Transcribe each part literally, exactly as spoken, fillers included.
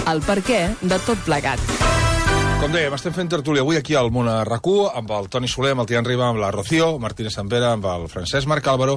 el perquè de tot plegat. Com dèiem, estem fent tertúlia avui aquí al Món a RAC1 amb el Toni Soler, amb el Tian Riba, amb la Rocío, Martínez Sampere, amb el Francesc Marc Álvaro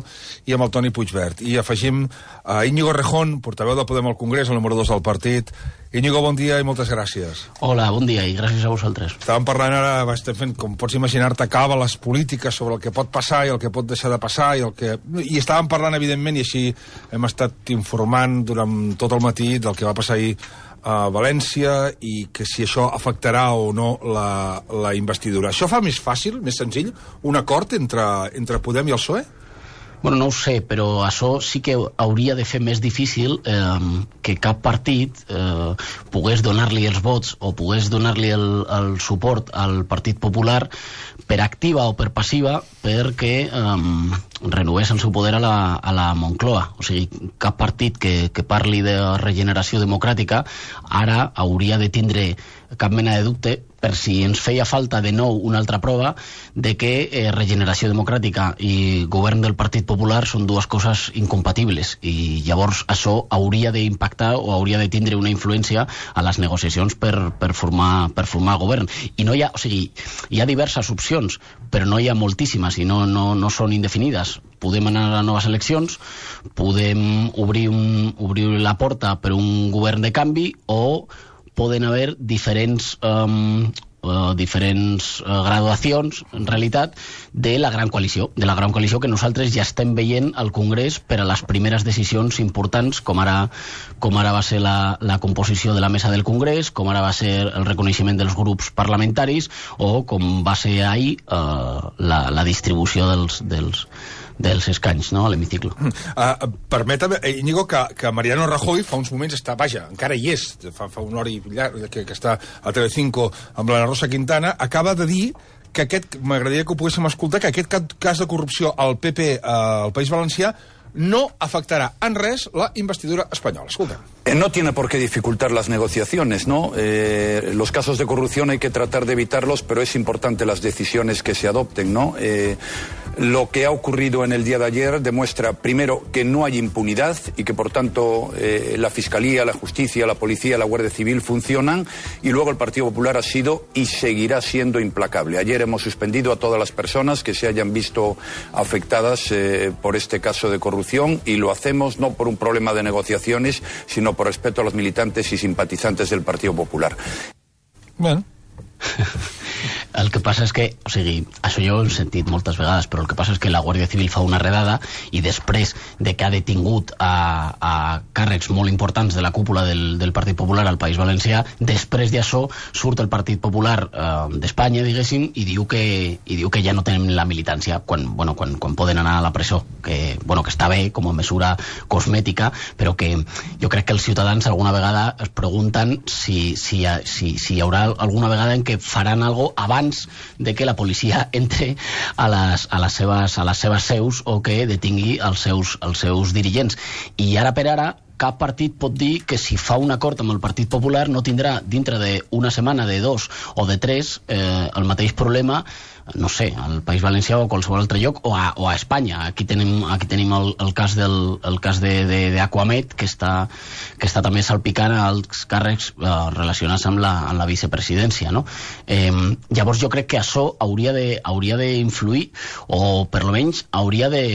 i amb el Toni Puigvert. I afegim a Íñigo Rejón, portaveu de Podem al Congrés, el número dos del partit. Íñigo, bon dia i moltes gràcies. Hola, bon dia i gràcies a vosaltres. Estàvem parlant ara, estem fent, com pots imaginar-te, càbales polítiques sobre el que pot passar i el que pot deixar de passar i el que... I estàvem parlant, evidentment, i així hem estat informant durant tot el matí del que va passar ahir a València i que si això afectarà o no la, la investidura. Això fa més fàcil, més senzill, un acord entre, entre Podem i el P S O E? Bueno, no ho sé, però això sí que hauria de fer més difícil eh, que cap partit eh, pogués donar-li els vots o pogués donar-li el, el suport al Partit Popular per activa o per passiva perquè eh, renovés el seu poder a la, a la Moncloa. O sigui, cap partit que, que parli de regeneració democràtica ara hauria de tindre cap mena de dubte per si ens feia falta de nou una altra prova de que eh, regeneració democràtica i govern del Partit Popular són dues coses incompatibles i llavors això hauria d'impactar o hauria de tindre una influència a les negociacions per, per, formar, per formar govern. I no hi ha, o sigui, hi ha diverses opcions, però no hi ha moltíssimes i no, no, no són indefinides. Podem anar a noves eleccions, podem obrir, un, obrir la porta per un govern de canvi o poden haver diferents, um, uh, diferents uh, graduacions, en realitat, de la gran coalició, de la gran coalició que nosaltres ja estem veient al Congrés per a les primeres decisions importants, com ara, com ara va ser la, la composició de la mesa del Congrés, com ara va ser el reconeixement dels grups parlamentaris, o com va ser ahir uh, la, la distribució dels... dels dels escanys, no?, a l'hemicicle. Uh, permetem, Íñigo, que, que Mariano Rajoy fa uns moments està, vaja, encara hi és, fa, fa una hora i llarg, que, que està a Telecinco amb la Rosa Quintana, acaba de dir que aquest, m'agradaria que ho poguéssim escoltar, que aquest cas de corrupció al P P uh, al País Valencià no afectarà en res la investidura espanyola. Escolta. Eh, no tiene por qué dificultar las negociaciones, ¿no? Eh, los casos de corrupción hay que tratar de evitarlos, pero es importante las decisiones que se adopten, ¿no? Eh, lo que ha ocurrido en el día de ayer demuestra, primero, que no hay impunidad y que, por tanto, eh, la Fiscalía, la Justicia, la Policía, la Guardia Civil funcionan, y luego el Partido Popular ha sido y seguirá siendo implacable. Ayer hemos suspendido a todas las personas que se hayan visto afectadas eh, por este caso de corrupción, y lo hacemos no por un problema de negociaciones, sino por respeto a los militantes y simpatizantes del Partido Popular. Bueno. El que passa és que, o sigui, això jo ho he sentit moltes vegades, però el que passa és que la Guàrdia Civil fa una redada i després de que ha detingut a, a càrrecs molt importants de la cúpula del, del Partit Popular al País Valencià, després d'això surt el Partit Popular eh, d'Espanya, diguéssim, i diu, que, i diu que ja no tenen la militància quan, bueno, quan, quan poden anar a la presó, que, bueno, que està bé com a mesura cosmètica, però que jo crec que els ciutadans alguna vegada es pregunten si, si, si, si hi haurà alguna vegada en què faran alguna cosa abans de que la policia entre a les, a les, seves, a les seves seus o que detingui els seus, els seus dirigents. I ara per ara cap partit pot dir que si fa un acord amb el Partit Popular no tindrà dintre d'una setmana, de dos o de tres eh, el mateix problema, no sé, al País Valencià o a qualsevol altre lloc, o a, o a Espanya. Aquí tenim, aquí tenim el, el cas del el cas de, de, de Aquamed, que està, que està també salpicant als càrrecs eh, relacionats amb la, amb la vicepresidència, no? Eh, llavors jo crec que això hauria de, hauria d'influir, o per lo menys hauria de,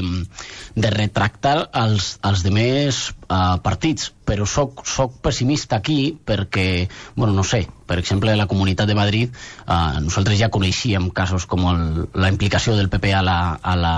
de retractar els, els demés eh, partits, però soc, soc pessimista aquí perquè, bueno, no sé, per exemple, a la Comunitat de Madrid eh, nosaltres ja coneixíem casos com el, la implicació del P P a la, a la,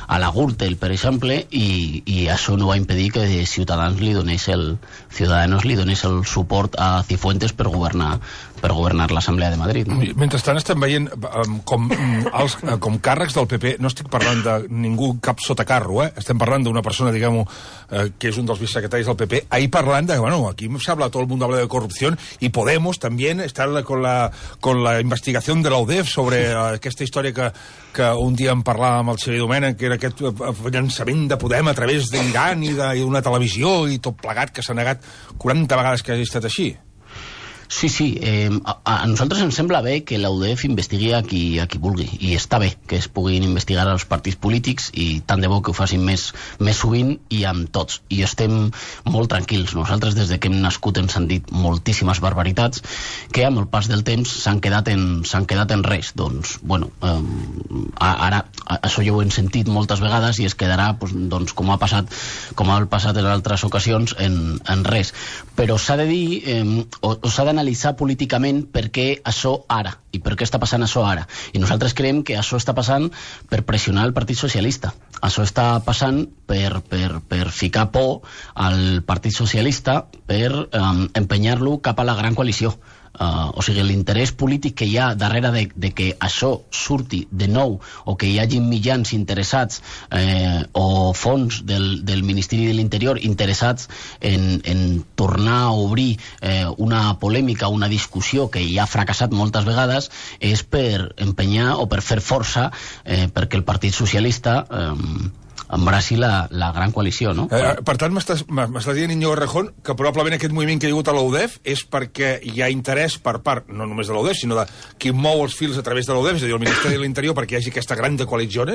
a la Gürtel, per exemple, i, i això no va impedir que Ciutadans li donés el, Ciudadanos li donés el suport a Cifuentes per governar per governar l'Assemblea de Madrid. No? Mentrestant estem veient um, com, els, com càrrecs del P P, no estic parlant de ningú cap sotacarro, eh? Estem parlant d'una persona, diguem-ho, eh, que és un dels vicesecretaris del P P, ahí parlant de, bueno, aquí se habla, todo el mundo habla de corrupción, y Podemos también está con la, con la investigación de la U D E F sobre uh, aquesta història que, que un dia en parlàvem amb el Xavier Domènech, que era aquest llançament de Podem a través d'Iran i d'una televisió i tot plegat, que s'ha negat quaranta vegades que hagi estat així. Sí, sí. Eh, a, a nosaltres ens sembla bé que la U D E F investigui a qui, a qui vulgui, i està bé que es puguin investigar els partits polítics, i tant de bo que ho facin més, més sovint i amb tots. I estem molt tranquils. Nosaltres, des de que hem nascut, ens han dit moltíssimes barbaritats que amb el pas del temps s'han quedat, en, s'han quedat en res. Doncs, bueno, eh, ara això ja ho hem sentit moltes vegades i es quedarà, doncs, com ha passat, com ha passat en altres ocasions, en, en res. Però s'ha de dir, eh, o, o s'ha d'analitzar políticament per què això ara, i per què està passant això ara. I nosaltres creiem que això està passant per pressionar el Partit Socialista. Això està passant per, per, per ficar por al Partit Socialista, per eh, empenyar-lo cap a la gran coalició. Uh, o sigui, l'interès polític que hi ha darrere de, de que això surti de nou, o que hi hagi mitjans interessats eh, o fons del, del Ministeri de l'Interior interessats en, en tornar a obrir eh, una polèmica, una discussió que ja ha fracassat moltes vegades, és per empenyar o per fer força eh, perquè el Partit Socialista eh, embraci la, la gran coalició, no? Eh, per tant, m'estàs dient, Íñigo Errejón, que probablement aquest moviment que hi ha hagut a la U D E F és perquè hi ha interès per part, no només de la U D E F, sinó de qui mou els fils a través de la U D E F, és a dir, el Ministeri de l'Interior, perquè hi hagi aquesta gran coalició?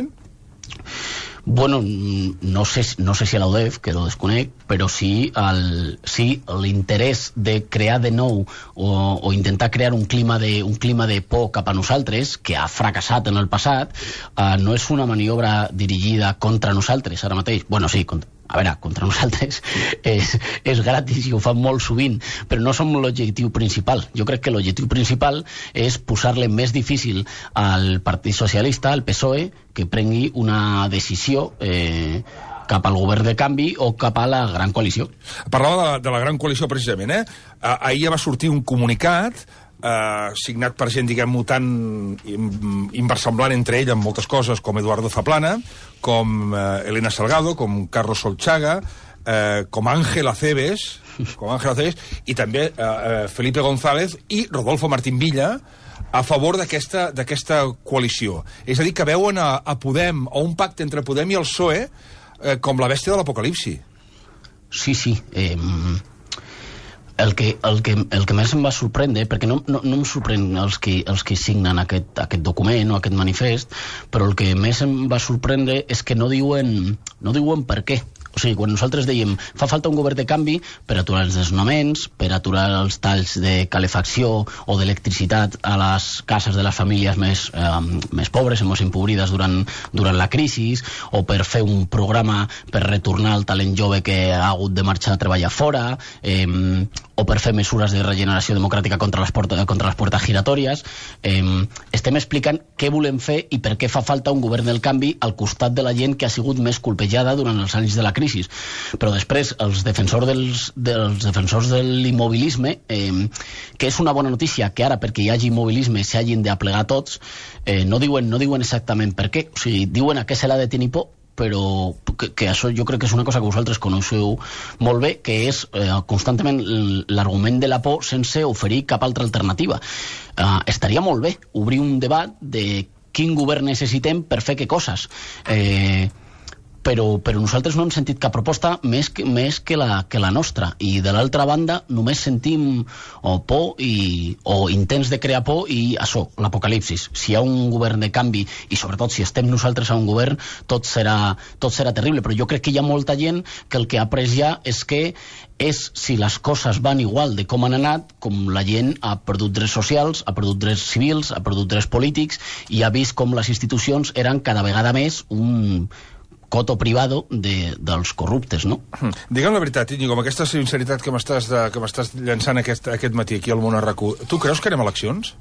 Bueno, no sé, no sé si a la U D E F, que ho desconec, però sí el, sí l'interès de crear de nou o, o intentar crear un clima, de, un clima de por cap a nosaltres, que ha fracassat en el passat, eh, no és una maniobra dirigida contra nosaltres ara mateix. Bueno, sí, contra, a veure, contra nosaltres és, és gratis i ho fan molt sovint, però no som l'objectiu principal. Jo crec que l'objectiu principal és posar-le més difícil al Partit Socialista, al P S O E, que prengui una decisió eh, cap al govern de canvi o cap a la gran coalició. Parlava de la, de la gran coalició, precisament, eh? Ahir va sortir un comunicat eh, signat per gent, diguem-ho, tan inversemblant entre ell en moltes coses, com Eduardo Zaplana, com eh, Elena Salgado, com Carlos Solchaga, eh, com Ángel Acebes, com Ángel Acebes, i també eh, Felipe González i Rodolfo Martín Villa, a favor d'aquesta d'aquesta coalició. És a dir, que veuen a, a Podem, o un pacte entre Podem i el P S O E, eh, com la bèstia de l'apocalipsi. Sí, sí. Eh, el, que, el, que, el que més em va sorprendre, perquè no, no, no em sorprèn els que, els que signen aquest, aquest document o aquest manifest, però el que més em va sorprendre és que no diuen, no diuen per què. O sigui, quan nosaltres dèiem fa falta un govern de canvi per aturar els desnonaments, per aturar els talls de calefacció o d'electricitat a les cases de les famílies més, eh, més pobres i més empobrides durant, durant la crisi, o per fer un programa per retornar el talent jove que ha hagut de marxar a treballar fora, eh, o per fer mesures de regeneració democràtica contra les, porta, contra les portes giratòries. Eh, estem explicant què volem fer i per què fa falta un govern del canvi al costat de la gent que ha sigut més colpejada durant els anys de la crisi. Però després els defensors dels, dels defensors de l'immobilisme, eh, que és una bona notícia que ara perquè hi hagi immobilisme s'hagin d'aplegar tots, eh, no, diuen, no diuen exactament per què. O sigui, diuen a què se l'ha de tenir por, però que, que això jo crec que és una cosa que vosaltres coneixeu molt bé, que és eh, constantment l'argument de la por sense oferir cap altra alternativa. Eh, estaria molt bé obrir un debat de quin govern necessitem per fer què coses. Eh, però, però nosaltres no hem sentit cap proposta més que, més que, la, que la nostra, i de l'altra banda només sentim o por i, o intents de crear por i això, l'apocalipsis. Si hi ha un govern de canvi i sobretot si estem nosaltres a un govern, tot serà, tot serà terrible, però jo crec que hi ha molta gent que el que ha après ja és que és si les coses van igual de com han anat, com la gent ha perdut drets socials, ha perdut drets civils, ha perdut drets polítics i ha vist com les institucions eren cada vegada més un coto privado de, dels corruptes, no? Digue'm la veritat, Íñigo, amb aquesta sinceritat que m'estàs que m'estàs llançant aquest, aquest matí aquí al Món a RAC u, tu creus que anem a eleccions?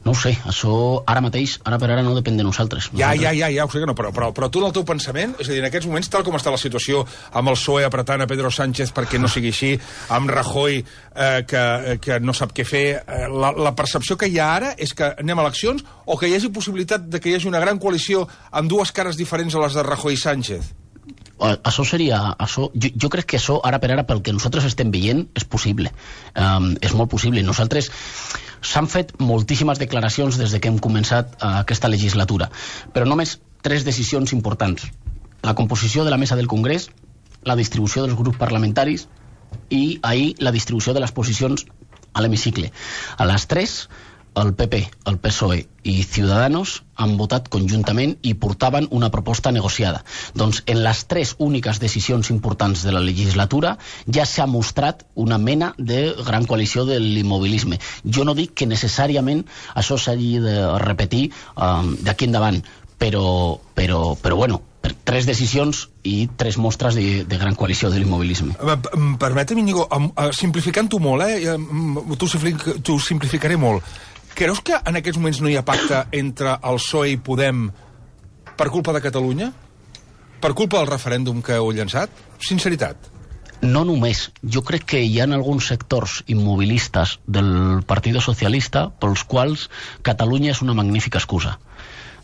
No ho sé, això ara mateix, ara per ara no depèn de nosaltres. Ja, nosaltres... ja, ja, ja, ho sé que no, però, però, però tu en el teu pensament, és a dir, en aquests moments, tal com està la situació amb el P S O E apretant a Pedro Sánchez perquè no sigui així, amb Rajoy eh, que, que no sap què fer, eh, la, la percepció que hi ha ara és que anem a eleccions o que hi hagi possibilitat de que hi hagi una gran coalició amb dues cares diferents a les de Rajoy i Sánchez? Això seria... Això, jo, jo crec que això, ara per ara, pel que nosaltres estem veient, és possible. Um, és molt possible. Nosaltres... S'han fet moltíssimes declaracions des de que hem començat uh, aquesta legislatura, però només tres decisions importants. La composició de la mesa del Congrés, la distribució dels grups parlamentaris i ahir la distribució de les posicions a l'hemicicle. A les tres, el P P, el P S O E i Ciudadanos han votat conjuntament i portaven una proposta negociada. Doncs en les tres úniques decisions importants de la legislatura ja s'ha mostrat una mena de gran coalició de l'immobilisme. Jo no dic que necessàriament això s'hagi de repetir um, d'aquí endavant, però, però, però bueno, tres decisions i tres mostres de, de gran coalició de l'immobilisme. Permetem, Íñigo, simplificant-ho molt, eh? T'ho simplificaré molt. Creus que en aquests moments no hi ha pacte entre el P S O E i Podem per culpa de Catalunya? Per culpa del referèndum que heu llançat? Sinceritat. No només. Jo crec que hi ha alguns sectors immobilistes del Partit Socialista pels quals Catalunya és una magnífica excusa.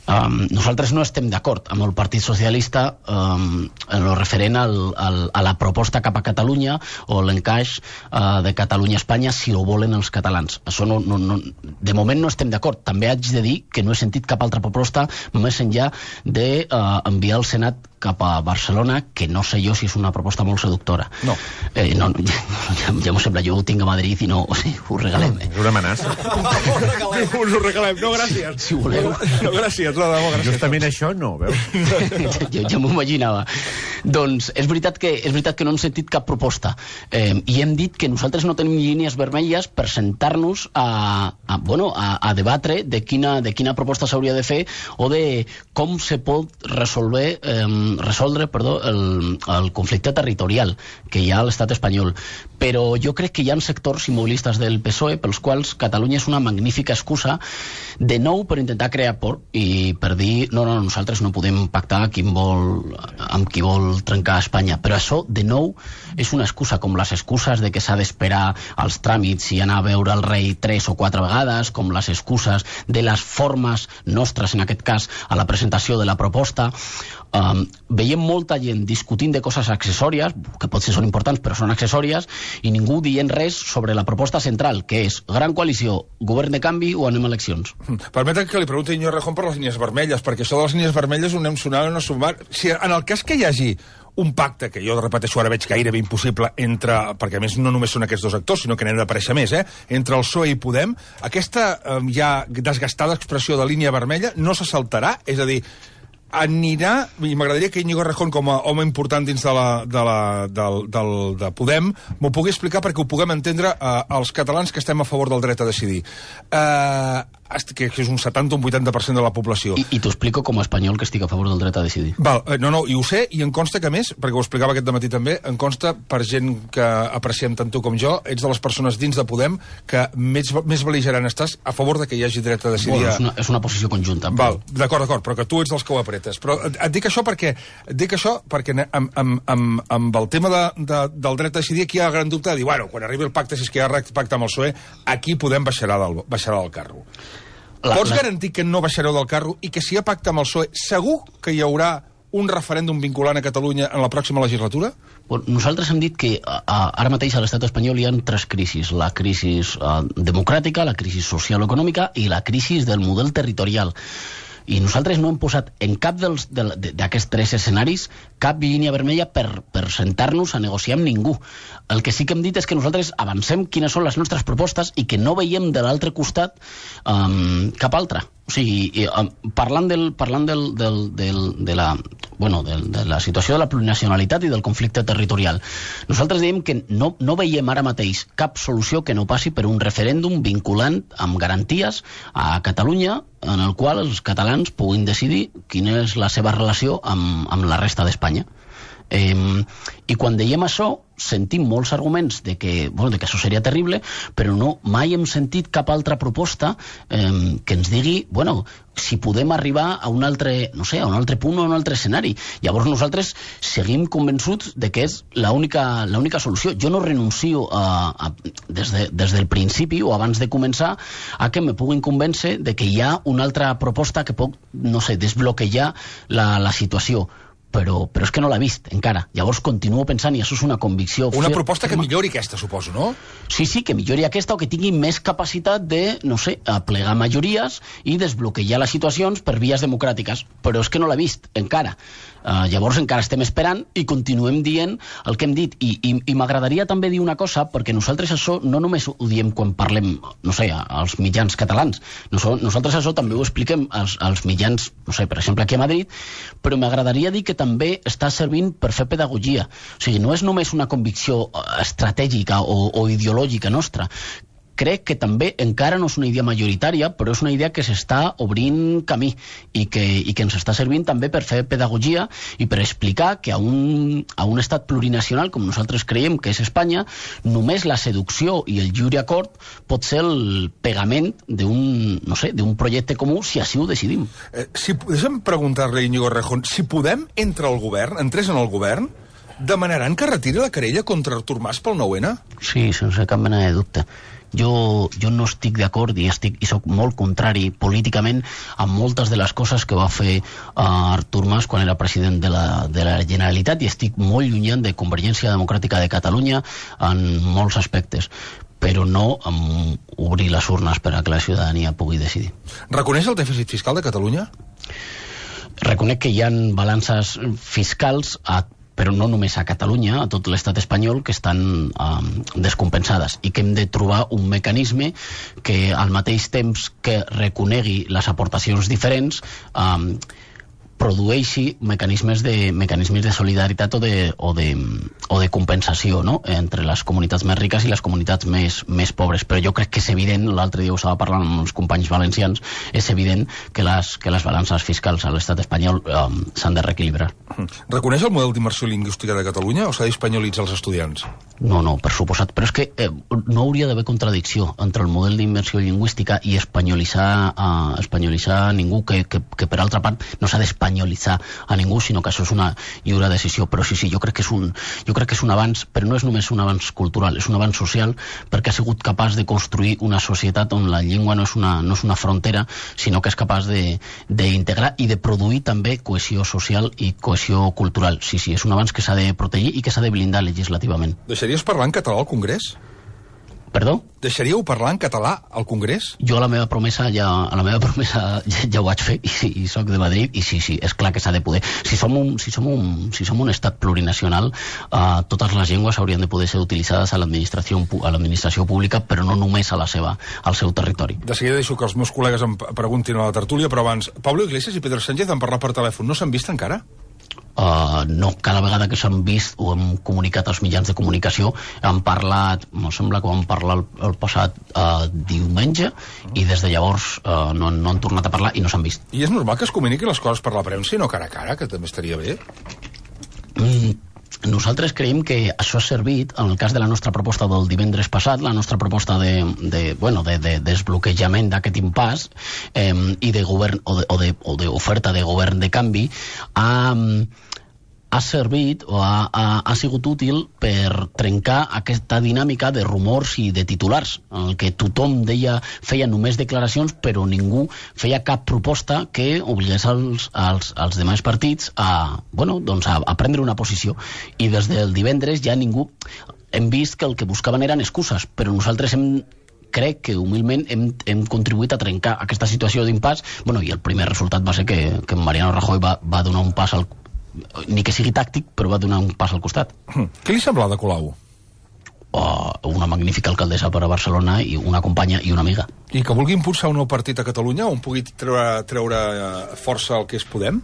Um, nosaltres no estem d'acord amb el Partit Socialista um, en el referent al, al, a la proposta cap a Catalunya o l'encaix uh, de Catalunya-Espanya si ho volen els catalans. Això no, no, no, de moment no estem d'acord. També haig de dir que no he sentit cap altra proposta més enllà d'enviar uh, al Senat cap a Barcelona, que no sé jo si és una proposta molt seductora. No. Eh, no, no ja, ja, ja m'ho sembla, jo ho tinc a Madrid i no, o sigui, ho regalem. És una amenaça. Us ho regalem, no, gràcies. Si voleu. No, gràcies, no, no, gràcies. Justament això no, veus? jo ja m'ho imaginava. Doncs és veritat que és veritat que no hem sentit cap proposta. Eh, I hem dit que nosaltres no tenim línies vermelles per sentar-nos a, a, bueno, a, a debatre de quina, de quina proposta s'hauria de fer o de com se pot resolver eh, resoldre perdó, el, el conflicte territorial que hi ha a l'estat espanyol. Però jo crec que hi ha sectors immobilistes del P S O E pels quals Catalunya és una magnífica excusa de nou per intentar crear por i per dir, no, no, nosaltres no podem pactar qui vol, amb qui vol trencar Espanya. Però això, de nou, és una excusa, com les excuses de que s'ha d'esperar als tràmits i anar a veure el rei tres o quatre vegades, com les excuses de les formes nostres, en aquest cas, a la presentació de la proposta. Um, veiem molta gent discutint de coses accessòries, que potser són importants però són accessòries, i ningú dient res sobre la proposta central, que és gran coalició, govern de canvi o anem a eleccions. Permetem que li pregunti Íñigo Errejón per les línies vermelles, perquè això de les línies vermelles ho anem sonant o no sumar. Si en el cas que hi hagi un pacte, que jo repeteixo ara veig gairebé impossible, entre, perquè a més no només són aquests dos actors, sinó que n'han d'aparèixer més, eh? Entre el P S O E i Podem, aquesta eh, ja desgastada expressió de línia vermella no se saltarà? És a dir, anirà, i m'agradaria que Íñigo Errejón, com a home important dins de, la, de, la, del, del, de Podem, m'ho pugui explicar perquè ho puguem entendre eh, els catalans que estem a favor del dret a decidir. Eh, que és un setanta o un vuitanta per cent de la població. I, i t'ho explico com a espanyol que estic a favor del dret a decidir. Val, no, no, i ho sé, i em consta que més, perquè ho explicava aquest dematí també, em consta, per gent que apreciem tant tu com jo, ets de les persones dins de Podem que més, més bel·ligerant estàs a favor de que hi hagi dret a decidir. Bueno, és, una, és una posició conjunta. Val, d'acord, d'acord, però que tu ets dels que ho apretes. Però et, et dic això perquè, et dic això perquè amb, amb, amb, amb el tema de, de, del dret a decidir, aquí hi ha el gran dubte de dir, bueno, quan arribi el pacte, si és que hi ha pacte amb el P S O E, aquí Podem baixarà del, baixarà del carro. La, Pots la... garantir que no baixareu del carro i que si hi ha pacte amb el P S O E, segur que hi haurà un referèndum vinculant a Catalunya en la pròxima legislatura? Bueno, nosaltres hem dit que a, a, ara mateix a l'estat espanyol hi ha tres crisis. La crisi uh, democràtica, la crisi social-econòmica i la crisi del model territorial. I nosaltres no hem posat en cap d'aquests tres escenaris cap línia vermella per, per sentar-nos a negociar amb ningú. El que sí que hem dit és que nosaltres avancem quines són les nostres propostes i que no veiem de l'altre costat um, cap altra. O sigui, um, parlant, del, parlant del, del, del, de, la, bueno, del, de la situació de la plurinacionalitat i del conflicte territorial, nosaltres diem que no, no veiem ara mateix cap solució que no passi per un referèndum vinculant amb garanties a Catalunya en el qual els catalans puguin decidir quina és la seva relació amb, amb la resta d'Espanya. Eh, I quan dèiem això, sentim molts arguments de que, bueno, de que això seria terrible, però no, mai hem sentit cap altra proposta eh, que ens digui, bueno, si podem arribar a un altre, no sé, a un altre punt o a un altre escenari. Llavors nosaltres seguim convençuts de que és l'única l'única solució. Jo no renuncio a, a, des, de, des del principi o abans de començar a que me puguin convèncer de que hi ha una altra proposta que pot, no sé, desbloquejar la, la situació. Però, però és que no l'ha vist encara. Llavors continuo pensant, i això és una convicció... Una proposta que millori aquesta, suposo, no? Sí, sí, que millori aquesta o que tingui més capacitat de, no sé, aplegar majories i desbloquejar les situacions per vies democràtiques. Però és que no l'ha vist encara. Uh, llavors encara estem esperant i continuem dient el que hem dit. I, i, i m'agradaria també dir una cosa, perquè nosaltres això no només ho diem quan parlem, no sé, als mitjans catalans. Nosaltres això també ho expliquem als, als mitjans, no sé, per exemple, aquí a Madrid, però m'agradaria dir que també està servint per fer pedagogia. O sigui, no és només una convicció estratègica o, o ideològica nostra. Crec que també encara no és una idea majoritària, però és una idea que s'està obrint camí i que, i que ens està servint també per fer pedagogia i per explicar que a un, a un estat plurinacional, com nosaltres creiem que és Espanya, només la seducció i el lliure acord pot ser el pegament d'un, no sé, d'un projecte comú si així ho decidim. Eh, si, deixa'm preguntar-li a Íñigo Errejón, si podem entrar al govern, entrés en el govern, demanaran que retiri la querella contra Artur Mas pel nou ene? Sí, sense cap mena de dubte. Jo, jo no estic d'acord i, estic, i soc molt contrari políticament a moltes de les coses que va fer uh, Artur Mas quan era president de la, de la Generalitat i estic molt llunyant de Convergència Democràtica de Catalunya en molts aspectes, però no um, obrir les urnes per a que la ciutadania pugui decidir. Reconeix el dèficit fiscal de Catalunya? Reconec que hi ha balances fiscals a però no només a Catalunya, a tot l'estat espanyol, que estan um, descompensades i que hem de trobar un mecanisme que al mateix temps que reconegui les aportacions diferents um, produeixi mecanismes de, mecanismes de solidaritat o de, o de, o de compensació, no?, entre les comunitats més riques i les comunitats més, més pobres. Però jo crec que és evident, l'altre dia ho estava parlant amb els companys valencians, és evident que les, que les balances fiscals a l'estat espanyol um, s'han de reequilibrar. Reconeix el model d'immersió lingüística de Catalunya o s'ha d'espanyolitzar els estudiants? No, no, per suposat. Però és que eh, no hauria d'haver contradicció entre el model d'immersió lingüística i espanyolitzar, uh, espanyolitzar ningú, que, que, que per altra part no s'ha d'espanyolitzar a ningú, sinó que això és una lliure decisió. Però sí, sí, jo crec que és un, jo crec que és un avanç, però no és només un avanç cultural, és un avanç social, perquè ha sigut capaç de construir una societat on la llengua no és una, no és una frontera, sinó que és capaç d'integrar i de produir també cohesió social i cohesió cultural. Sí, sí, és un avanç que s'ha de protegir i que s'ha de blindar legislativament. Deixaries parlar en català al Congrés? Perdó? Deixaríeu parlar en català al Congrés? Jo a la meva promesa ja, a la meva promesa ja, ja ho vaig fer i, sí, i soc de Madrid i sí, sí, és clar que s'ha de poder. Si som un, si som un, si som un estat plurinacional, uh, totes les llengües haurien de poder ser utilitzades a l'administració a l'administració pública, però no només a la seva, al seu territori. De seguida deixo que els meus col·legues em preguntin a la tertúlia, però abans, Pablo Iglesias i Pedro Sánchez han parlat per telèfon. No s'han vist encara? Uh, no, cada vegada que s'han vist o hem comunicat als mitjans de comunicació han parlat, em sembla que vam parlar el, el passat uh, diumenge i des de llavors uh, no, no han tornat a parlar i no s'han vist. I és normal que es comuniquin les coses per la premsa i no cara a cara, que també estaria bé? Mm, nosaltres creiem que això ha servit, en el cas de la nostra proposta del divendres passat, la nostra proposta de, de, bueno, de, de desbloquejament d'aquest impàs eh, i de govern o de, o de, o d'oferta de govern de canvi, ha, ha servit o ha, ha, ha sigut útil per trencar aquesta dinàmica de rumors i de titulars, en el que tothom deia, feia només declaracions, però ningú feia cap proposta que obligués als, als, als demais partits a, bueno, doncs a, a prendre una posició. I des del divendres ja ningú... Hem vist que el que buscaven eren excuses, però nosaltres hem crec que humilment hem, hem contribuït a trencar aquesta situació d'impàs. Bueno, i el primer resultat va ser que, que Mariano Rajoy va, va donar un pas al... ni que sigui tàctic, però va donar un pas al costat. Què li sembla de Colau? Oh, una magnífica alcaldessa per a Barcelona i una companya i una amiga. I que vulgui impulsar un nou partit a Catalunya on pugui treure, treure força el que és Podem?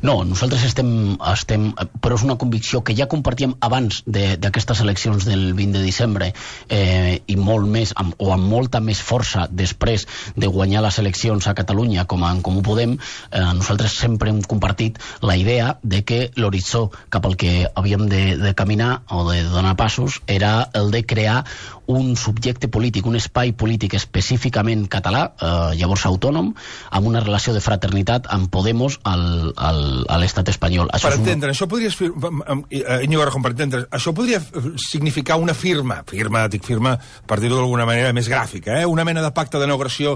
No, nosaltres estem, estem... Però és una convicció que ja compartíem abans d'aquestes eleccions del vint de desembre eh, i molt més, amb, o amb molta més força després de guanyar les eleccions a Catalunya com a En Comú Podem. Eh, nosaltres sempre hem compartit la idea de que l'horitzó cap al que havíem de, de caminar o de donar passos era el de crear un subjecte polític, un espai polític específicament català, eh, llavors autònom, amb una relació de fraternitat amb Podemos al, al a l'estat espanyol. Això per entendre, una... això podria... Íñigo Errejón, per entendre, això podria significar una firma, firma, dic firma, per dir-ho d'alguna manera més gràfica, eh? Una mena de pacte de no agressió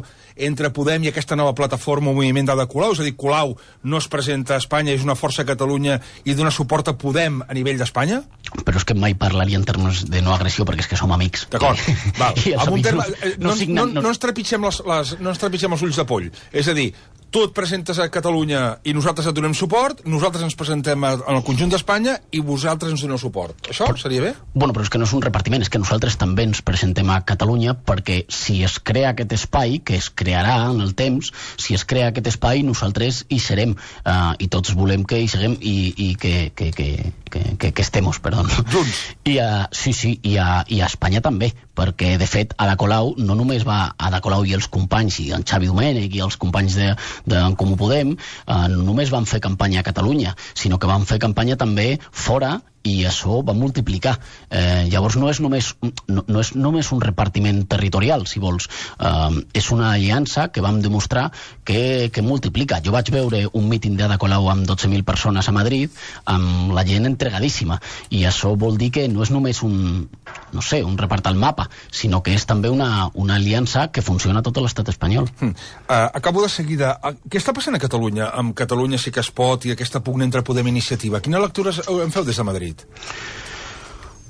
entre Podem i aquesta nova plataforma o moviment de Colau, és a dir, Colau no es presenta a Espanya, és una força a Catalunya i dona suport a Podem a nivell d'Espanya? Però és que mai parlaria en termes de no agressió, perquè és que som amics. D'acord, val. I Amb un terme, no, no, signen, no, no, ens trepitgem les, les, no ens trepitgem els ulls de poll. És a dir, tu et presentes a Catalunya i nosaltres et donem suport, nosaltres ens presentem en el conjunt d'Espanya i vosaltres ens doneu suport. Això seria bé? Bueno, però és que no és un repartiment, és que nosaltres també ens presentem a Catalunya perquè si es crea aquest espai, que es crearà en el temps, si es crea aquest espai, nosaltres hi serem, uh, i tots volem que hi seguem i, i que, que, que, que, que, que estem, perdó. Junts. I a, sí, sí, i a, i a Espanya també, perquè, de fet, Ada Colau no només va Ada Colau i els companys, i en Xavi Domènech i els companys de, d'en Comú Podem, eh, no només van fer campanya a Catalunya, sinó que van fer campanya també fora, i això va multiplicar. Eh, llavors no és, només, no, no és només un repartiment territorial, si vols. Eh, és una aliança que vam demostrar que, que multiplica. Jo vaig veure un míting d'Ada Colau amb dotze mil persones a Madrid, amb la gent entregadíssima, i això vol dir que no és només un, no sé, un repart al mapa, sinó que és també una, una aliança que funciona a tot l'estat espanyol. Hmm. Uh, acabo de seguida. Uh, què està passant a Catalunya, amb Catalunya sí que es pot i aquesta pugna entre Podem i Iniciativa? Quina lectura en feu des de Madrid?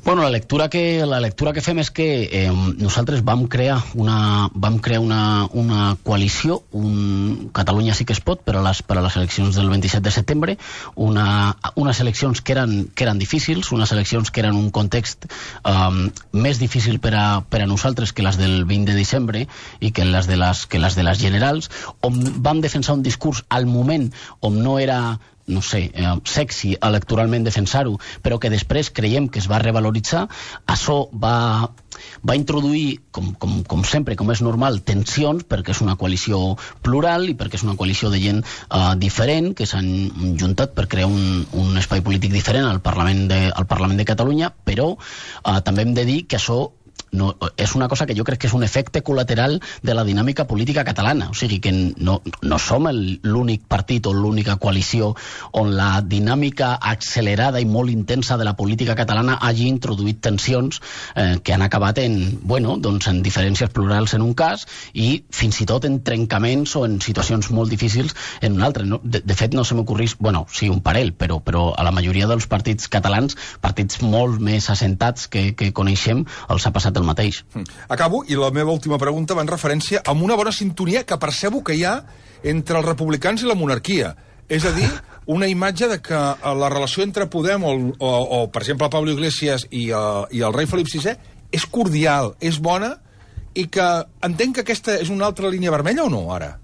Bueno, la lectura que, la lectura que fem és que eh, nosaltres vam crear una, vam crear una, una coalició, un Catalunya sí que es pot, per a les, per a les eleccions del vint-i-set de setembre, una, unes eleccions que eren, que eren difícils, unes eleccions que eren un context um, més difícil per a, per a nosaltres que les del vint de desembre i que les de les, que les de les generals, on vam defensar un discurs al moment on no era no sé, eh, sexy electoralment defensar-ho, però que després creiem que es va revaloritzar. Això va, va introduir, com, com, com sempre, com és normal, tensions, perquè és una coalició plural i perquè és una coalició de gent eh, diferent, que s'han juntat per crear un, un espai polític diferent al Parlament de, al Parlament de Catalunya, però eh, també hem de dir que això no, és una cosa que jo crec que és un efecte col·lateral de la dinàmica política catalana, o sigui que no, no som l'únic partit o l'única coalició on la dinàmica accelerada i molt intensa de la política catalana hagi introduït tensions eh, que han acabat en, bueno, doncs en diferències plurals en un cas i fins i tot en trencaments o en situacions molt difícils en un altre. No? De, de fet no se m'ocorrís, bueno, sí, un parell, però, però a la majoria dels partits catalans, partits molt més assentats que, que coneixem, els ha passat el mateix. Acabo, i la meva última pregunta va en referència a una bona sintonia que percebo que hi ha entre els republicans i la monarquia. És a dir, una imatge de que la relació entre Podem o, o, o per exemple, Pablo Iglesias i, uh, i el rei Felip sisè és cordial, és bona, i que entenc que aquesta és una altra línia vermella o no, ara?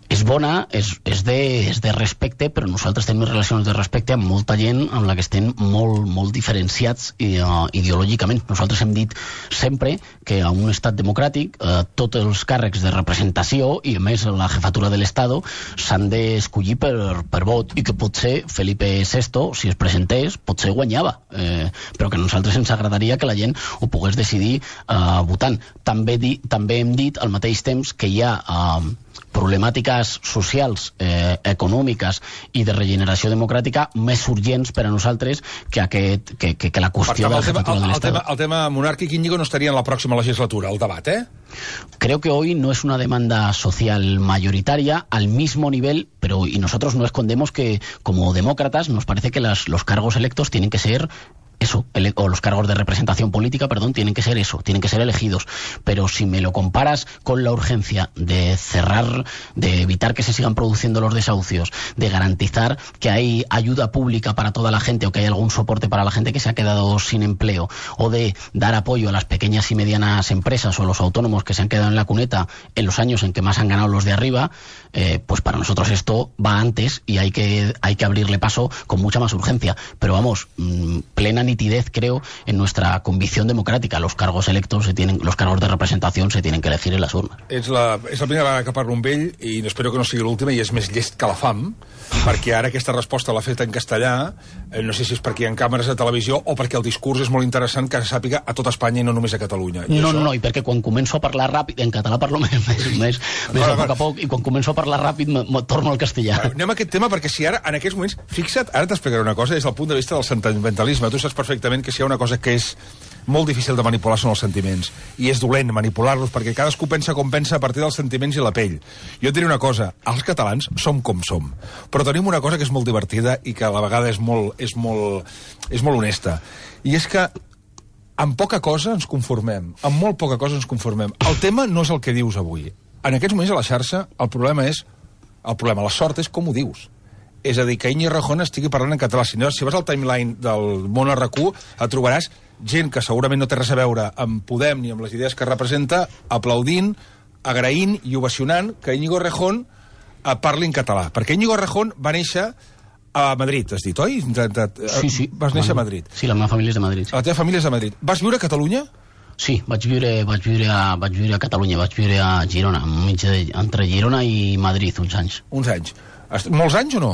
És bona, és, és, de, és de respecte, però nosaltres tenim relacions de respecte amb molta gent amb la que estem molt, molt diferenciats uh, ideològicament. Nosaltres hem dit sempre que a un estat democràtic uh, tots els càrrecs de representació i a més la jefatura de l'Estado s'han d'escollir per, per vot i que potser Felipe sexto, si es presentés, potser guanyava, eh, però que a nosaltres ens agradaria que la gent ho pogués decidir uh, votant. També, di, també hem dit al mateix temps que hi ha uh, problemàtiques socials, eh, econòmiques i de regeneració democràtica més urgents per a nosaltres que, aquest, que, que, que la qüestió de la jefatura de l'Estat. El tema monàrquic, Íñigo, no estaria en la pròxima legislatura, el debat, ¿eh? Creo que hoy no es una demanda social mayoritaria al mismo nivel, pero y nosotros no escondemos que como demócratas nos parece que las, los cargos electos tienen que ser eso, ele o los cargos de representación política, perdón, tienen que ser eso, tienen que ser elegidos. Pero si me lo comparas con la urgencia de cerrar, de evitar que se sigan produciendo los desahucios, de garantizar que hay ayuda pública para toda la gente o que hay algún soporte para la gente que se ha quedado sin empleo, o de dar apoyo a las pequeñas y medianas empresas o a los autónomos que se han quedado en la cuneta en los años en que más han ganado los de arriba, eh, pues para nosotros esto va antes y hay que, hay que abrirle paso con mucha más urgencia. Pero vamos, mmm, plena nitidez, creo, en nuestra convicción democrática. Los cargos electos, se tienen, los cargos de representación se tienen que elegir en las urnes. És la, és la primera vegada que parlo amb ell i espero que no sigui l'última i és més llest que la fam, perquè ara aquesta resposta l'ha fet en castellà, eh, no sé si és perquè hi ha càmeres de televisió o perquè el discurs és molt interessant que sàpiga a tot Espanya i no només a Catalunya. I no, això... no, i perquè quan començo a parlar ràpid, en català parlo més, més, més, més a poc a poc, i quan començo a parlar ràpid me, me torno al castellà. Bueno, anem a aquest tema perquè si ara, en aquests moments, fixa't, ara t'explicaré una cosa des del punt de vista del sentimentalisme. Tu saps perfectament que si hi ha una cosa que és molt difícil de manipular són els sentiments, i és dolent manipular-los perquè cadascú pensa com pensa a partir dels sentiments i la pell. Jo et diré una cosa, els catalans som com som, però tenim una cosa que és molt divertida i que a la vegada és molt, és molt, és molt honesta, i és que amb poca cosa ens conformem, amb molt poca cosa ens conformem. El tema no és el que dius avui. En aquests moments a la xarxa el problema és El problema, la sort, és com ho dius. És a dir, que Íñigo Errejón estigui parlant en català. Si, no, si vas al timeline del món R Q, et trobaràs gent que segurament no té res a veure amb Podem ni amb les idees que representa, aplaudint, agraint i ovacionant que Íñigo Errejón eh, parli en català. Perquè Íñigo Errejón va néixer a Madrid, has dit, oi? Sí, sí. Vas néixer a Madrid. Sí, la meva família és de Madrid. Sí. La teva família és de Madrid. Vas viure a Catalunya? Sí, vaig viure, vaig viure, a, vaig viure a Catalunya, vaig viure a Girona, de, entre Girona i Madrid, uns anys. Uns anys. Molts anys o no?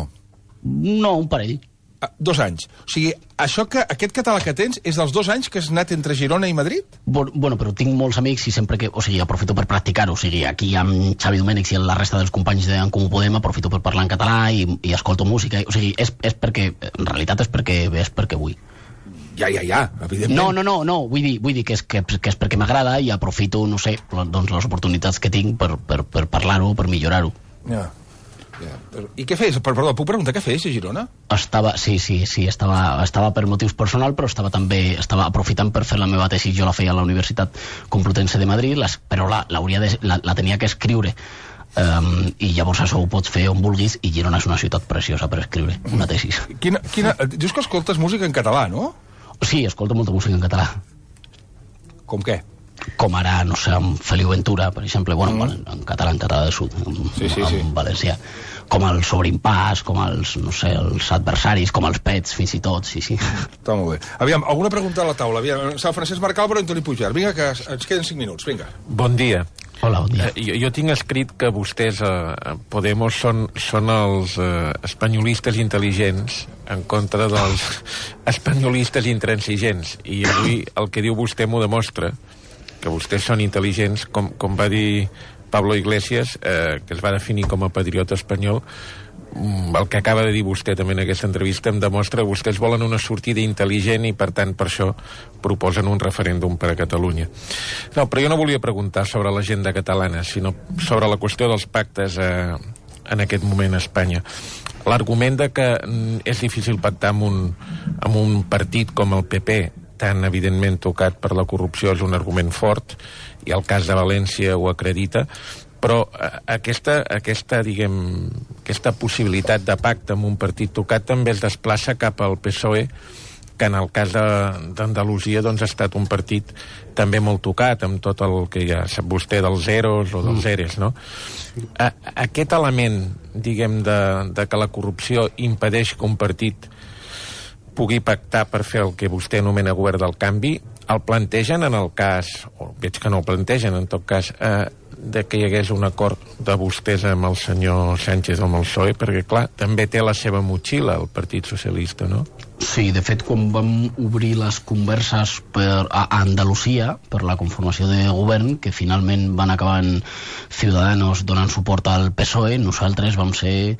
No, un parell. Ah, dos anys. O sigui, això que, aquest català que tens és dels dos anys que has anat entre Girona i Madrid? Bueno, bueno, però tinc molts amics i sempre que... O sigui, aprofito per practicar-ho. O sigui, aquí amb Xavi Domènech i la resta dels companys d'en Comú Podem aprofito per parlar en català i, i escolto música. O sigui, és, és perquè... En realitat és perquè, és perquè vull. Ja, ja, ja, evidentment. No, no, no, no. Vull dir, vull dir que, és, que, que és perquè m'agrada i aprofito, no sé, doncs les oportunitats que tinc per, per, per parlar-ho, per millorar-ho. Ja. Ja. I què fes? Perdó, puc preguntar què fes a Girona? Estava, sí, sí, sí, estava, estava per motius personals, però estava també estava aprofitant per fer la meva tesi. Jo la feia a la Universitat Complutense de Madrid, les, però la, la, de, la, la tenia que escriure. Um, i llavors això ho pots fer on vulguis, i Girona és una ciutat preciosa per escriure una tesi. Quina, quina, dius que escoltes música en català, no? Sí, escolto molta música en català. Com què? Com ara, no sé, amb Feliu Ventura, per exemple, bueno, mm. en, en català, en català del sud, en, sí, sí, en sí. valencià, com els Sobreimpàs, com els, no sé, els adversaris, com els pets, fins i tot, sí, sí. Està molt bé. Aviam, alguna pregunta a la taula? Aviam, Sant Francesc Marcalbro i Antoni Puigvert. Vinga, que ens queden cinc minuts, vinga. Bon dia. Hola, bon dia. Eh, jo, jo tinc escrit que vostès, eh, Podemos, són, són els eh, espanyolistes intel·ligents en contra dels espanyolistes intransigents. I avui el que diu vostè m'ho demostra, que vostès són intel·ligents, com, com va dir Pablo Iglesias, eh, que es va definir com a patriota espanyol. El que acaba de dir vostè també en aquesta entrevista em demostra que vostès volen una sortida intel·ligent i, per tant, per això proposen un referèndum per a Catalunya. No, però jo no volia preguntar sobre l'agenda catalana, sinó sobre la qüestió dels pactes eh, en aquest moment a Espanya. L'argument de que és difícil pactar amb un, amb un partit com el P P, tan evidentment tocat per la corrupció, és un argument fort, i el cas de València ho acredita, però aquesta, aquesta, diguem, aquesta possibilitat de pacte amb un partit tocat també es desplaça cap al P S O E, que en el cas d'Andalusia doncs, ha estat un partit també molt tocat, amb tot el que ja sap vostè dels zeros o dels eres, no? A, aquest element, diguem, de, de que la corrupció impedeix que un partit pugui pactar per fer el que vostè anomena govern del canvi, el plantegen en el cas, o veig que no el plantegen, en tot cas, eh, de que hi hagués un acord de vostès amb el senyor Sánchez o amb el P S O E, perquè, clar, també té la seva motxilla el Partit Socialista, no? Sí, de fet, quan vam obrir les converses per, a Andalusia per la conformació de govern, que finalment van acabar en Ciudadanos donant suport al P S O E, nosaltres vam ser,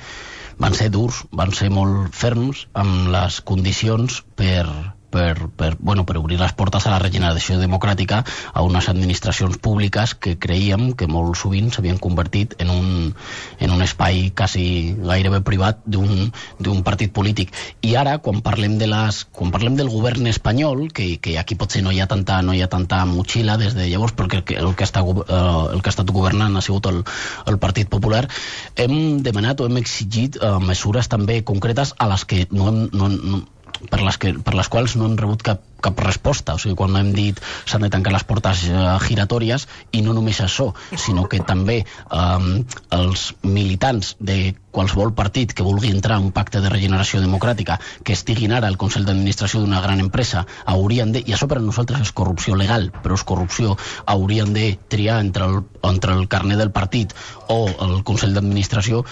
van ser durs, van ser molt ferms amb les condicions per... Per, per, bueno, per obrir les portes a la regeneració democràtica a unes administracions públiques que creiem que molt sovint s'havien convertit en un, en un espai quasi gairebé privat d'un partit polític. I ara, quan parlem, de les, quan parlem del govern espanyol, que, que aquí potser no hi ha tanta, no hi ha tanta motxilla des de llavors, perquè el que, el que, està, el que ha estat governant ha sigut el, el Partit Popular, hem demanat o hem exigit uh, mesures també concretes a les que no hem... No, no, per les, que, per les quals no hem rebut cap, cap resposta. O sigui, quan hem dit s'han de tancar les portes uh, giratòries, i no només això, sinó que també um, els militants de qualsevol partit que vulgui entrar en un pacte de regeneració democràtica, que estiguin ara al Consell d'Administració d'una gran empresa, haurien de, i això per a nosaltres és corrupció legal, però és corrupció, haurien de triar entre el, entre el carnet del partit o el Consell d'Administració.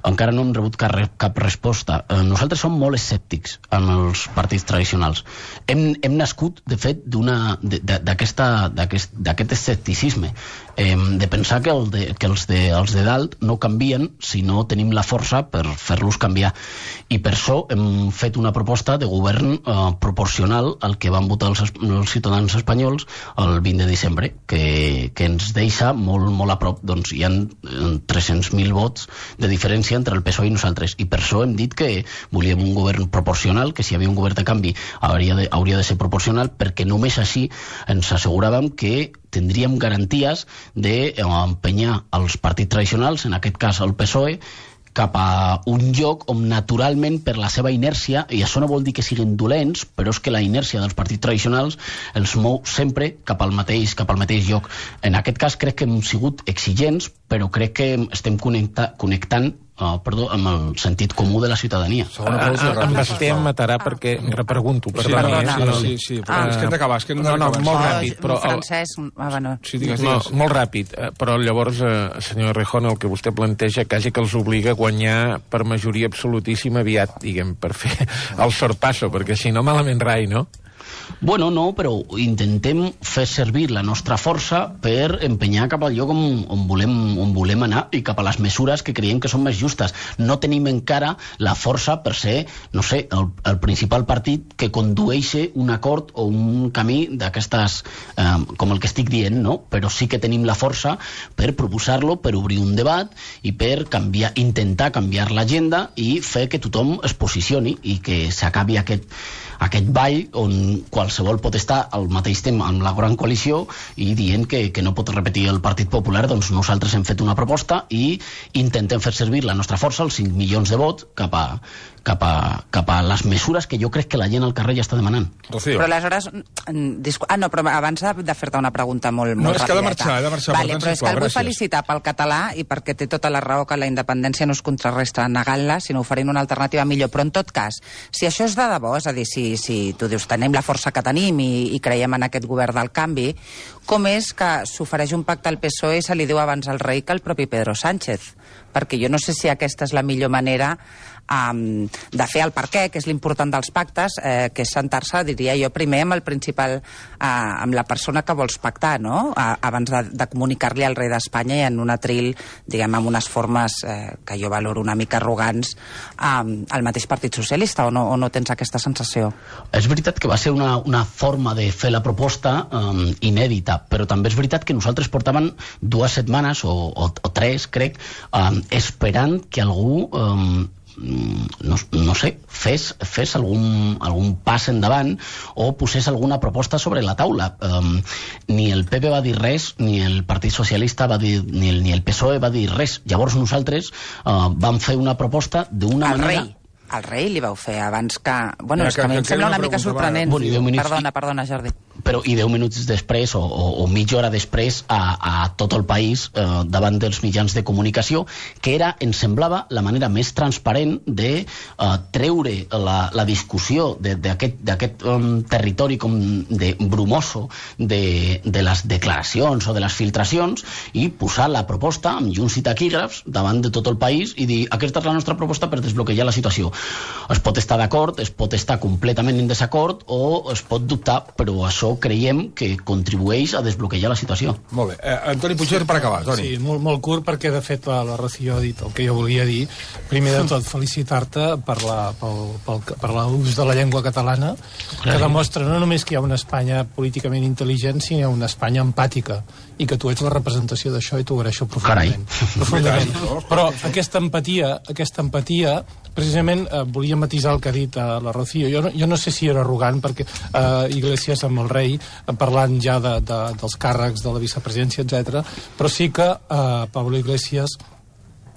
Encara no hem rebut cap, cap resposta. Eh, nosaltres som molt escèptics en els partits tradicionals. Hem, hem nascut, de fet, d'aquest escepticisme, eh, de pensar que, el de, que els, de, els de dalt no canvien si no tenim la força per fer-los canviar. I per això hem fet una proposta de govern eh, proporcional al que van votar els, els ciutadans espanyols el vint de desembre, que, que ens deixa molt, molt a prop. Doncs hi ha tres-cents mil vots de diferència entre el P S O E i nosaltres, i per això hem dit que volíem un govern proporcional, que si hi havia un govern de canvi hauria de, hauria de ser proporcional, perquè només així ens asseguràvem que tindríem garanties d'empenyar els partits tradicionals, en aquest cas el P S O E, cap a un lloc on naturalment per la seva inèrcia, i això no vol dir que siguin dolents, però és que la inèrcia dels partits tradicionals els mou sempre cap al mateix, cap al mateix lloc. En aquest cas crec que hem sigut exigents, però crec que estem connecta, connectant Uh, perdó, amb el sentit comú de la ciutadania. Em Basté em matarà perquè repregunto. Sí, perdona. Sí, sí, sí, però és que hem d'acabar. És que hem no, no, molt ah, ràpid. Però Francesc, ah, bueno. Sí, digues, no, digues. molt ràpid. Però llavors, eh, senyor Rejón, el que vostè planteja quasi que els obliga a guanyar per majoria absolutíssima aviat, diguem, per fer el sorpasso, perquè si no, malament rai, no? Bueno, no, però intentem fer servir la nostra força per empenyar cap al lloc on, on, volem, on volem anar i cap a les mesures que creiem que són més justes. No tenim encara la força per ser, no sé, el, el principal partit que condueixi un acord o un camí d'aquestes, eh, com el que estic dient, no? Però sí que tenim la força per proposar-lo, per obrir un debat i per canviar, intentar canviar l'agenda i fer que tothom es posicioni i que s'acabi aquest, aquest ball on qualsevol pot estar al mateix temps amb la gran coalició i dient que, que no pot repetir el Partit Popular. Doncs nosaltres hem fet una proposta i intentem fer servir la nostra força, els cinc milions de vots, cap a, cap a, cap a les mesures que jo crec que la gent al carrer ja està demanant. Rocío. Però aleshores... Ah, no, però abans de fer-te una pregunta molt, molt no, és rapideta. que ha de marxar, ha de marxar. Vale, però és que el vull felicitar pel català i perquè té tota la raó que la independència no es contrarresta negant-la, sinó oferint una alternativa millor. Però en tot cas, si això és de debò, és a dir, si, si tu dius tenim la força que tenim i, i creiem en aquest govern del canvi, com és que s'ofereix un pacte al P S O E i se li diu abans al rei que el propi Pedro Sánchez? Perquè jo no sé si aquesta és la millor manera um, de fer el per què, que és l'important dels pactes, eh, que és sentar-se, diria jo, primer amb el principal, eh, amb la persona que vols pactar, no? A, abans de, de comunicar-li al rei d'Espanya i en un atril, diguem, amb unes formes eh, que jo valoro una mica arrogants, um, al mateix Partit Socialista, o no, o no tens aquesta sensació? És veritat que va ser una, una forma de fer la proposta um, inèdita, però també és veritat que nosaltres portàvem dues setmanes o, o, o tres, crec, um, esperant que algú um, no, no sé, fes, fes algun, algun pas endavant o posés alguna proposta sobre la taula. Um, ni el P P va dir res, ni el Partit Socialista va dir, ni el, ni el P S O E va dir res. Llavors nosaltres uh, vam fer una proposta d'una manera... Rei. El rei li vau fer abans que... Bueno, és que a mi em sembla una mica sorprenent. Perdona, perdona, Jordi. Però i deu minuts després o, o, o mitja hora després a, a tot el país eh, davant dels mitjans de comunicació, que era, ens semblava, la manera més transparent de eh, treure la, la discussió d'aquest um, territori com de brumoso de, de les declaracions o de les filtracions i posar la proposta amb llums i taquígrafs davant de tot el país i dir, aquesta és la nostra proposta per desbloquejar la situació. Es pot estar d'acord, es pot estar completament en desacord o es pot dubtar, però això creiem que contribueix a desbloquejar la situació. Molt bé. Eh, Antoni Puigverd, per acabar, Toni. Sí, molt, molt curt, perquè de fet la, la Rocío ha dit el que jo volia dir. Primer de tot, felicitar-te per la, pel, pel, per l'ús de la llengua catalana, que demostra no només que hi ha una Espanya políticament intel·ligent, sinó una Espanya empàtica, i que tu ets la representació d'això i t'ho agraeixo profundament. profundament. Però aquesta empatia, aquesta empatia precisament eh, volia matisar el que ha dit eh, la Rocío. Jo no, jo no sé si era arrogant, perquè eh, Iglesias amb el rei, eh, parlant ja de, de, dels càrrecs de la vicepresidència, etcètera, però sí que eh, Pablo Iglesias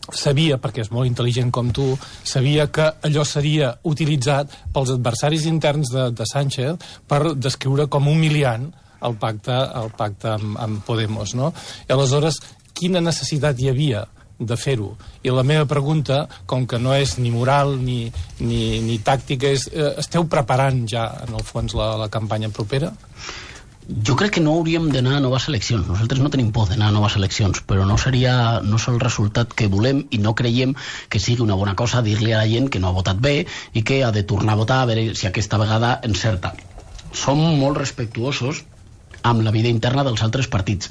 sabia, perquè és molt intel·ligent com tu, sabia que allò seria utilitzat pels adversaris interns de, de Sánchez per descriure com humiliant el pacte, el pacte amb, amb Podemos, no? I aleshores, quina necessitat hi havia de fer-ho? I la meva pregunta, com que no és ni moral ni, ni, ni tàctica, és, eh, esteu preparant ja, en el fons, la, la campanya propera? Jo crec que no hauríem d'anar a noves eleccions. Nosaltres no tenim por d'anar a noves eleccions, però no seria, no és el resultat que volem i no creiem que sigui una bona cosa dir-li a la gent que no ha votat bé i que ha de tornar a votar a veure si aquesta vegada encerta. Som molt respectuosos amb la vida interna dels altres partits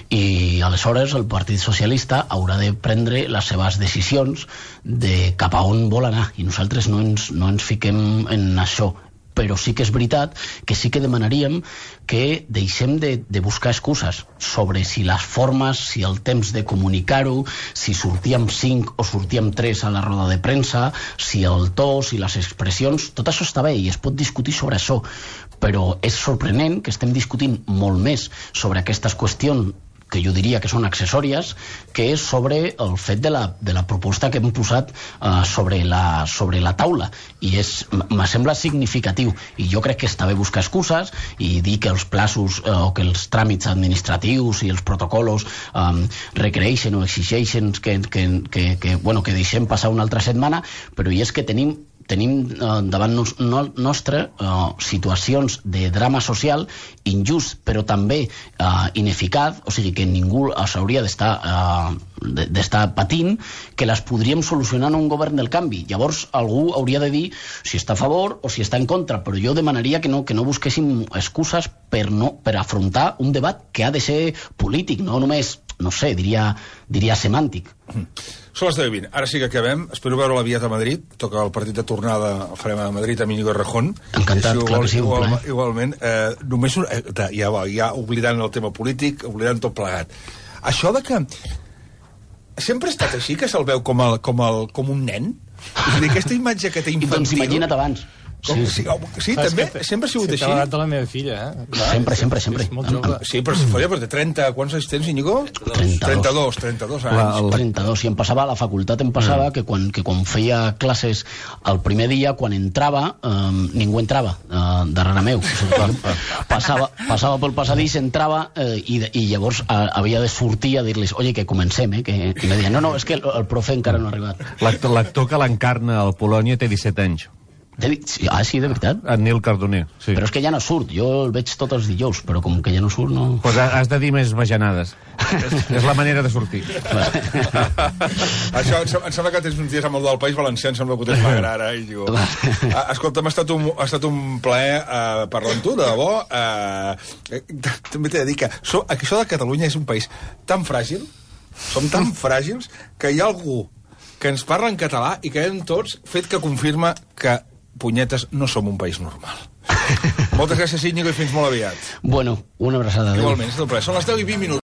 i aleshores el Partit Socialista haurà de prendre les seves decisions de cap a on vol anar i nosaltres no ens, no ens fiquem en això, però sí que és veritat que sí que demanaríem que deixem de, de buscar excuses sobre si les formes, si el temps de comunicar-ho, si sortíem cinc o sortíem tres a la roda de premsa, si el to, si les expressions, tot això està bé i es pot discutir sobre això, però és sorprenent que estem discutint molt més sobre aquestes qüestions que jo diria que són accessòries, que és sobre el fet de la, de la proposta que hem posat uh, sobre, la, sobre la taula, i és, me sembla significatiu, i jo crec que està bé buscar excuses i dir que els plaços uh, o que els tràmits administratius i els protocols um, requereixen o exigeixen que, que, que, que, bueno, que deixem passar una altra setmana, però i és que tenim tenim eh, davant nos, no, nostre eh, situacions de drama social injust, però també eh, ineficaç, o sigui que ningú s'hauria d'estar eh, d'estar patint, que les podríem solucionar en un govern del canvi. Llavors algú hauria de dir si està a favor o si està en contra, però jo demanaria que no, que no busquéssim excuses per, no, per afrontar un debat que ha de ser polític, no només, no sé, diria, diria semàntic. Mm. Són les deu i vint. Ara sí que acabem. Espero veure l'aviat a Madrid. Toca el partit de tornada, el farem a Madrid amb Íñigo Errejón. Encantat, igual, clar que sí, un igual, plaer. Igualment. Eh, només un, eh, ja, va, ja oblidant el tema polític, oblidant tot plegat. Això de que sempre ha estat així, que se'l veu com, el, com, el, com un nen? És a dir, aquesta imatge que té infantil... Doncs imagina't abans. Com, sí, sí, sí també, que, sempre ha sigut que així. T'ha agradat de la meva filla, eh? Clar, sempre, sempre, sempre. És molt jove. Sí, però si folla, però té trenta... Quants anys tens, Íñigo? trenta-dos, trenta-dos anys. La, el... trenta-dos, i em passava, a la facultat em passava mm. que, quan, que quan feia classes el primer dia, quan entrava, eh, ningú entrava eh, darrere meu. O sigui, passava, passava pel passadís, entrava eh, i, i llavors eh, havia de sortir a dir-los, oye, que comencem, eh? Que, i me deien, no, no, és que el, el profe encara no ha arribat. L'actor que l'encarna al Polònia té disset anys. Ah, sí, de veritat? En Nil Cardoner, sí. Però és que ja no surt, jo el veig tots els dijous, però com que ja no surt, no... Pues has de dir més bajanades. és, és la manera de sortir. Això, em sembla que tens uns dies amb el del País Valencià, em sembla que ho tens m'agrada ara. I digo, escolta'm, ha estat un, ha estat un plaer uh, parlar amb tu, de debò. Uh, també t'he de dir que so, això de Catalunya és un país tan fràgil, som tan fràgils, que hi ha algú que ens parla en català i que hem tots fet que confirma que punyetes, no som un país normal. Moltes gràcies, Íñigo, i fins molt aviat. Bueno, una abraçada. Igualment, és un plaer. Són les deu i vint minuts.